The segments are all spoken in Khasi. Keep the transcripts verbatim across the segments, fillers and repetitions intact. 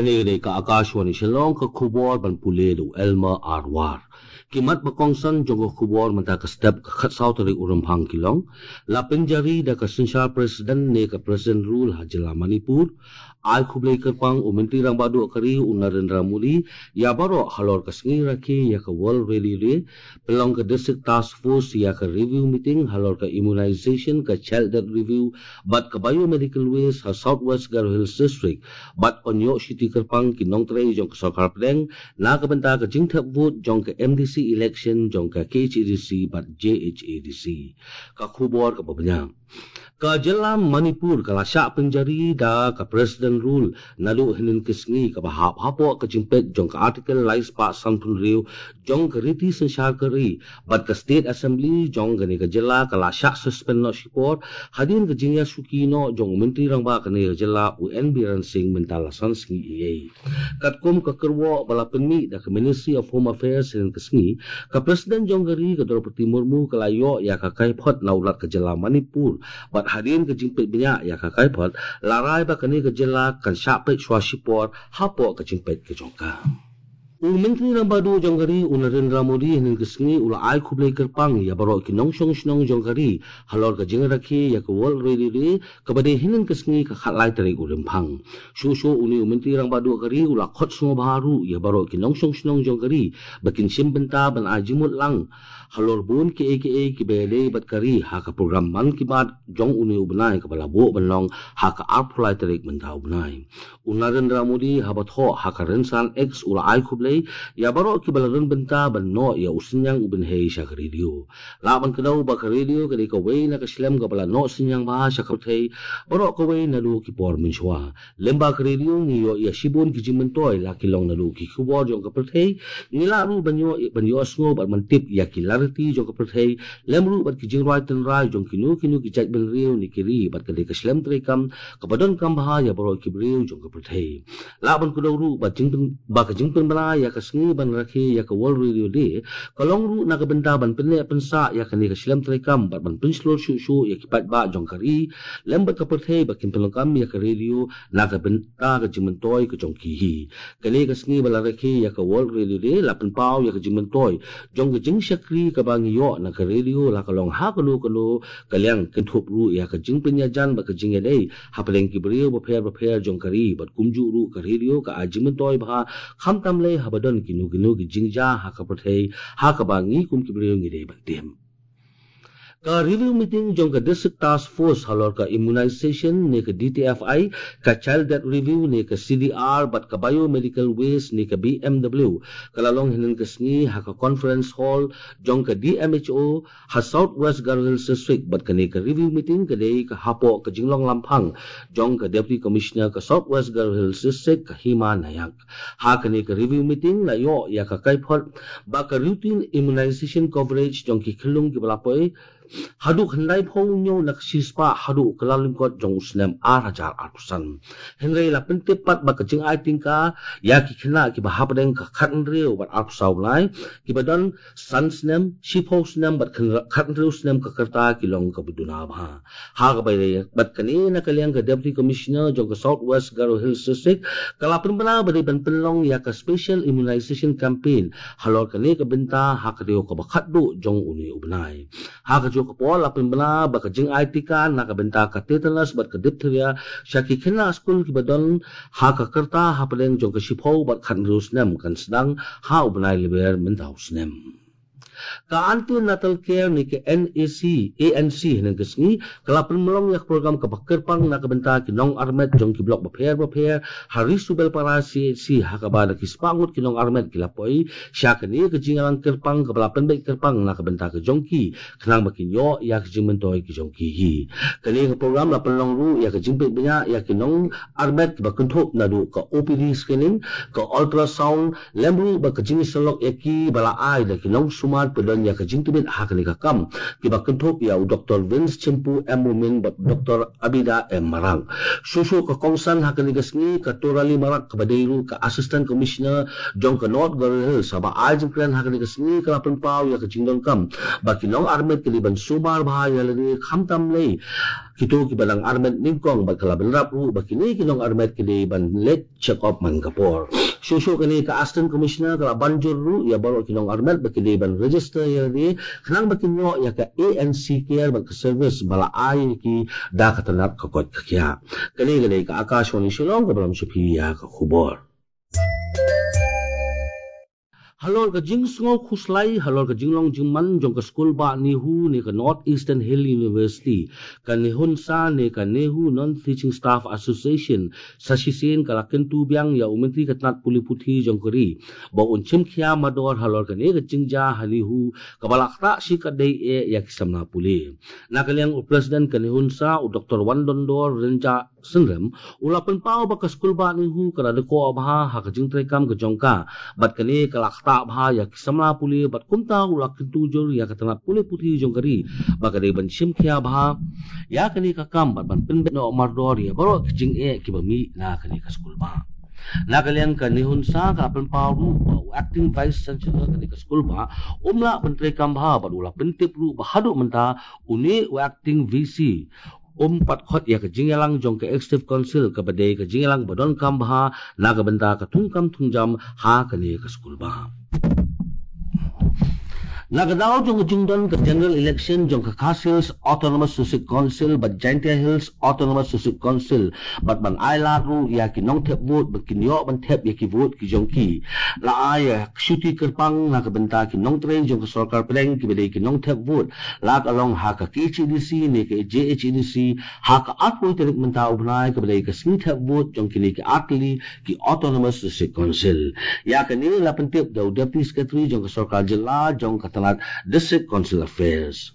Kane ka dei ka Akashvani Shillong, ka khubor ban pule da u Elmer Arwar. Ki mat ba kongsan jong ka khubor mynta ka step ka khatsaw tarik u Rymphang ki long. La pynjari da ka synshar president ne ka president rule ha jylla Manipur. Ai khublei kyrpang u Myntri Rangbah Duh ka ri u Narendra Modi ïa baroh halor ka sngi rakhe ïa ka World Radio Day. Pynlong ka District Task Force ïa ka review meeting halor ka immunization, ka child death review bad ka biomedical waste ha South West Garo Hills District. Bad yn ïoh shuti kyrpang ki nongtrei jong ka sorkar pdeng na ka bynta ka jingthep vote jong ka M D C election jong ka K H A D C bad J H A D C. Ka khubor kaba bniah. Ka jylla Manipur ka la shah pynjari da ka president rule naduh hynnin ka sngi, kaba hap hapoh ka jingpeit jong ka article lai spah sanphew hynriew jong ka riti synshar ka ri. Bad ka State Assembly jong kane ka jylla ka la shah suspend noh shipor hadien ka jingïashuki noh jong u Myntri Rangbah kane ka jylla u N Biren Singh mynta la san sngi ei ei. Katkum ka kyrwoh ba la pynmih da ka Ministry of Home Affairs hynnin ka sngi, ka President jong ka ri ka Droupadi Murmu ka la ïoh ïa ka kaiphod na u Lat ka jylla Manipur. Bad hadien ka jingpeit bniah ïa ka kaiphod, la rai ba kane ka jylla kan shah peit shuwa shipor hapoh ka jingpeit ka jong ka. U Myntri Rangbah Duh jong ka ri u Narendra Modi hynnin ka sngi u la ai khublei kyrpang ïa baroh ki nongshong shnong jong ka ri halor ka jingrakhe ïa ka World Radio Day, kaba dei hynnin ka sngi ka khatlai tarik u Rymphang. Shuh shuh une u Myntri Rangbah Duh ka ri u la khot sngewbha ruh ïa baroh ki nongshong shnong jong ka ri ba kin shim bynta ban ai jingmut lang halor bun kiei kiei kiba ïadei bad ka ri ha ka program Mann Ki Baat jong une u bnai, kaba la buh ban long ha ka arphew lai tarik mynta u bnai. U Narendra Modi haba thoh ha ka rynsan X u la ai khublei ïa baroh kiba la rung bynta ban noh ïa u synñiang u bynhei sha ka radio. Lah ban kdew ba ka radio ka dei kawei na ka shlem kaba la noh synñiang bha sha ka pyrthei baroh kawei naduh ki por mynshuwa. Lyngba ka radio ngi ïoh ïa shibun ki jingmyntoi, la ki long naduh ki khubor jong ka pyrthei, ngi lah ruh ban ïoh, ban ïohsngew bad ban tip ïa ki lariti jong ka pyrthei, lem ruh bad ki jingrwai tynrai jong kino kino ki jaitbynriew ne ki ri, bad ka dei ka shlem treikam kaba donkam bha ïa baroh ki briew jong ka pyrthei. Lah ban kdew ruh ba jingpyn, ba ka jingpynbna ïa ka sngi ban rakhe ïa ka World Radio Day ka long ruh na ka bynta ban pynneh pynsah ïa kane ka shlem treikam bad ban pynshlur shuh shuh ïa ki paidbah jong ka ri lem bad ka pyrthei ba kin pynlong kam ïa ka radio na ka bynta ka jingmyntoi ka jong ki hi. Kane ka sngi ba la rakhe ïa ka World Radio Day la pynpaw ïa ka jingmyntoi jong ka jingshakri kaba ngi ïoh na ka radio, la ka long ha kano kano ka liang, kynthup ruh ïa ka jingpynïajan bad ka jingïadei hapdeng ki briew bapher bapher jong ka ri, bad kumjuh ruh ka radio ka ai jingmyntoi bha khamtam lei haba don kino kino ki jingjia ha ka pyrthei ha kaba ngi kum ki briew ngi dei ban tip. Ka review meeting jong ka District Task Force halor ka immunization ne ka D T F I, ka Child Death Review ne ka C D R bad ka Biomedical Waste ne ka B M W, ka la long hynnin ka sngi ha ka Conference Hall jong ka D M H O ha South West Garo Hills District. Bad kane ka review meeting ka dei ka hapoh ka jinglong lamphang jong ka Deputy Commissioner ka South West Garo Hills District, ka Hima Nayak. Ha kane ka review meeting la ïoh ïa ka kaiphod ba ka routine immunization coverage jong ki khyllung kiba la poi haduh khyndai phew hynñiew na ka shispah haduh ka lyngkot jong u snem ar hajar arphew san. Hynrei la pyntip pat ba ka jingai tyngka ïa ki khynnah kiba hapdeng ka khathynriew bad arphew saw lai, kiba don san snem, shiphew snem bad khyndai, khathynriew snem ka rta ki long kaba duna bha. Ha kaba ïadei bad kane, na ka liang ka Deputy Commissioner jong ka South West Garo Hills District ka la pynbna ba dei ban pynlong ïa ka special immunization campaign halor kane ka bynta ha ka taïew kaba khatduh jong une u bnai. Ha kajuh ka por la pynbna ba ka jingai tika na ka bynta ka tetanus bad ka diphtheria sha ki khynnah skul kiba don ha ka rta hapdeng jong ka shiphew bad khathynriew snem kan sdang ha u bnai Lber mynta u snem. Ka Antenatal Care ne ka N A C, A N C hynnin ka sngi ka la pynlong ïa ka program kaba kyrpang na ka bynta ki nongarmet jong ki block bapher bapher ha Ri Subelpara C H C, ha kaba da ki spah ngut ki nongarmet ki la poi sha kane ka jingïalang kyrpang kaba la pynbeit kyrpang na ka bynta ka jong ki, khnang ba kin ïoh ïa ka jingmyntoi ka jong ki hi. Kane ka program la pynlong ruh ïa ka jingpeit bniah ïa ki nongarmet kiba kynthup naduh ka O P D screening, ka ultrasound, lem ruh bad ka jingïasyllok ïa ki ba la ai da ki nongsumar ba don ïa ka jingtbit ha kane ka kam, kiba kynthup ïa u Doktor Vince Chimpu, M Mumin bad Doktor Abida M Marak. Shuh shuh ka kongsan ha kane ka sngi, ka Torali Marak kaba dei ruh ka Assistant Commissioner jong ka North Garo Hills, haba ai jingkren ha kane ka sngi ka la pynpaw ïa ka jingdonkam ba ki nongarmet ki dei ban sumar bha ïa lade khamtam lei Kito kiba dang armet nyngkong bad ka la bynrap ruh ba kine ki nongarmet ki dei ban leit check up man ka por. Shuh shuh kane ka Assistant Commissioner ka la ban jur ruh ïa baroh ki nongarmet ba ki dei ban register ïa lade khnang ba kin ïoh ïa ka A N C Care bad ka service ba la ai ïa ki da ka tnat ka koit ka khiah. Kane ka dei ka Akashvani Shillong kaba lam sha phi ïa ka khubor. Halor ka jingsngew khuslai halor ka jinglong jingman jong ka skul bah NEHU ne ka North Eastern Hill University, ka NEHUNSA ne ka NEHU Non-Teaching Staff Association sa shisien ka la kyntu biang ïa u Myntri ka tnat pule puthi jong ka ri ba un shim khia mardor halor kane ka jingjia ha NEHU kaba la ktah shi katdei eh ïa ki samla pule. Na ka liang u President ka NEHUNSA u Doctor Wandondor Rynjah Synrem u la pynpaw ba ka skul bah NEHU ka la dkoh bha ha ka jingtreikam ka jong ka bad kane ka la ktah bha ïa ki samla pule bad kumta u la kyntu jur ïa ka tnat pule puthi jong ka ri ba ka dei ban shim khia bha ïa kane ka kam bad ban pynbeit noh mardor ïa baroh ki jingeh kiba mih na kane ka skul bah. Na ka liang ka NEHUNSA ka la pynpaw ruh ba u Acting Vice Chancellor kane ka skul bah um lah ban treikam bha bad u la pyntip ruh ba haduh mynta une u Acting V C um pat khot ïa ka jingïalang jong ka Executive Council kaba dei ka jingïalang ba donkam bha na ka bynta ka thungkam thungjam ha kane ka skul bah. Na ka daw jong ka jingdon ka general election jong ka Khasi Hills Autonomous District Council bad Jaintia Hills Autonomous District Council bad ban ai lad ruh ïa ki nongthep vote ba kin ïoh ban thep ïa ki vote ki jong ki, la ai ïa ka shuti kyrpang na ka bynta ki nongtrei jong ka sorkar pdeng kiba dei ki nongthep vote la ka long ha ka K H A D C ne ka J H A D C ha ka arphew tarik mynta u bnai kaba dei ka sngi thep vote jong kine ki artylli ki Autonomous District Council. Ïa kane la pyntip da u Deputy Secretary jong ka sorkar jylla jong ka tnat District Council Affairs.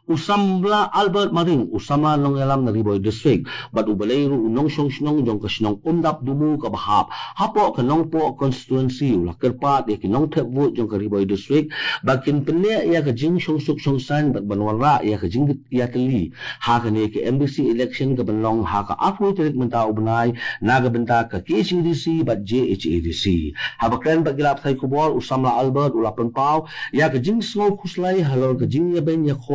U samla Albert Maring, u samla nongïalam na Ri Bhoi District bad u balei ruh u nongshong shnong jong ka shnong Umdap Dumu kaba hap hapoh ka Nongpoh constituency u la kyrpad ïa ki nongthep vote jong ka Ri Bhoi District ba kin pynneh ïa ka jingshong suk shong saiñ bad ban wanrah ïa ka jingïatylli ha kane ka M D C election ka ban long ha ka arphew tarik mynta u bnai na ka bynta ka K H A D C bad J H A D C. Haba kren bad ki lad pathai khubor u samla Albert u la pynpaw ïa ka jingsngew khuslai halor ka jingïabeiñ ïakhoh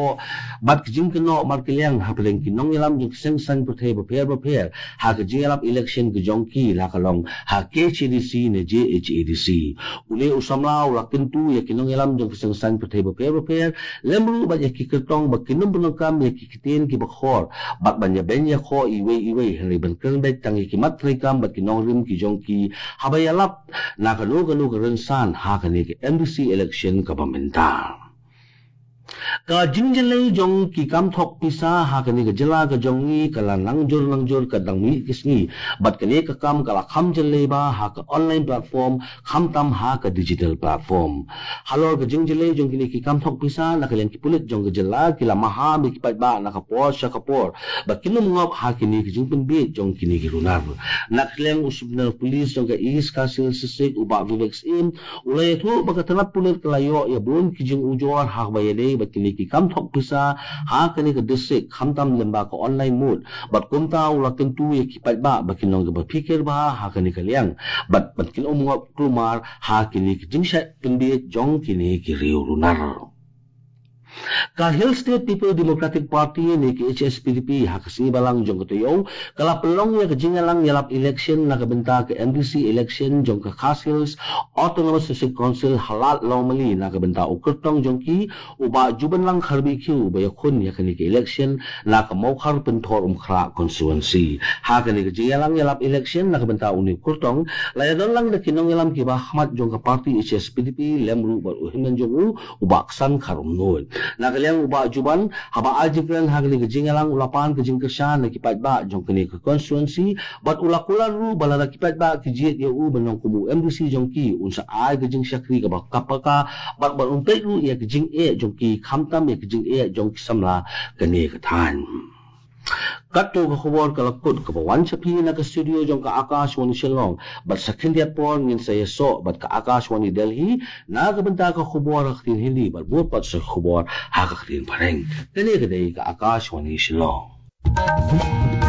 bad ka jingkynnoh markylliang hapdeng ki nongïalam jong ki seng saiñ pyrthei bapher bapher ha ka jingïalap election ka jong ki la ka long ha K H A D C ne J H A D C. Une u samla u la kyntu ïa ki nongïalam jong ki seng saiñ pyrthei bapher bapher lem ruh bad ïa ki kyrtong ba kin ym pyndonkam ïa ki ktien kiba khor bad ban ïabeiñ ïakhoh iwei iwei hynrei ban kren beit tang ïa ki mat treikam bad ki nongrim ki jong ki haba ïalap na kano kano ka rynsan ha kane ka M D C election kaba mynta. Ka jingjyllei jong ki kam thok pisa ha kane ka jylla ka jong ngi ka la nang jur nang jur ka dang mih ki sngi bad kane ka kam ka la kham jyllei bha ha ka online platform khamtam ha ka digital platform. Halor ka jingjyllei jong kine ki kam thok pisa na ka liang ki pulit jong ka jylla ki la maham ïa ki paidbah na ka por sha ka por ba kin ym ngop ha kine ki jingpynbiej jong kine ki runar. Na ka liang u Superintendent of Police jong ka East Khasi Hills District u Bah Vivek Syiem u la ïathuh ba ka tnat pulit ka la ïoh ïa bun ki jingujor ha kaba ïadei bad kine ki kam thok pisa ha kane ka district khamtam lyngba ka online mode bad kumta u la kyntu ïa ki paidbah ba kin long kiba phikir bha ha kane ka liang bad ba kin ym ngop kulmar ha kine ki jingshah pynbiej jong kine ki riew runar. Ka Hill State People Democratic Party ne ka H S P D P ha ka sngi Balang jong ka taïew ka la pynlong ïa ka jingïalang ïalap election na ka bynta ka M D C election jong ka Khasi Hills Autonomous District Council ha Lad Lawmali na ka bynta u kyrtong jong ki u Bah Jubanlang Kharbihkhiew uba ïakhun ïa kane ka election na ka Mawkhar Pynthor Umkhrah constituency. Ha kane ka jingïalang ïalap election na ka bynta une u kyrtong la ïadon lang da ki nongïalam kiba ha khmat jong ka party H S P D P lem ruh bad u hynmen jong u u Bah Ksan Kharumnuid. Na ka liang u Bah Juban haba ai jingkren ha kane ka jingïalang u la pan ka jingkyrshan na ki paidbah jong kane ka constituency bad u la kular ruh ba lada ki paidbah ki jied ïa u ban long kum u M D C jong ki un sa ai ka jingshakri kaba ka paka bad ban peit ruh ïa ka jingeh jong ki khamtam ïa ka jingeh jong ki samla kane ka thaiñ. Katto ka khubor ka la kut kaba wan sha phi na ka studio jong ka Akashvani Shillong bad sa khyndiat por ngin sa ïasoh bad ka Akashvani Delhi na ka bynta ka khubor ha ka ktien Hindi bad bud pat sa ka khubor ha ka ktien Phareng. Kane ka dei ka Akashvani Shillong.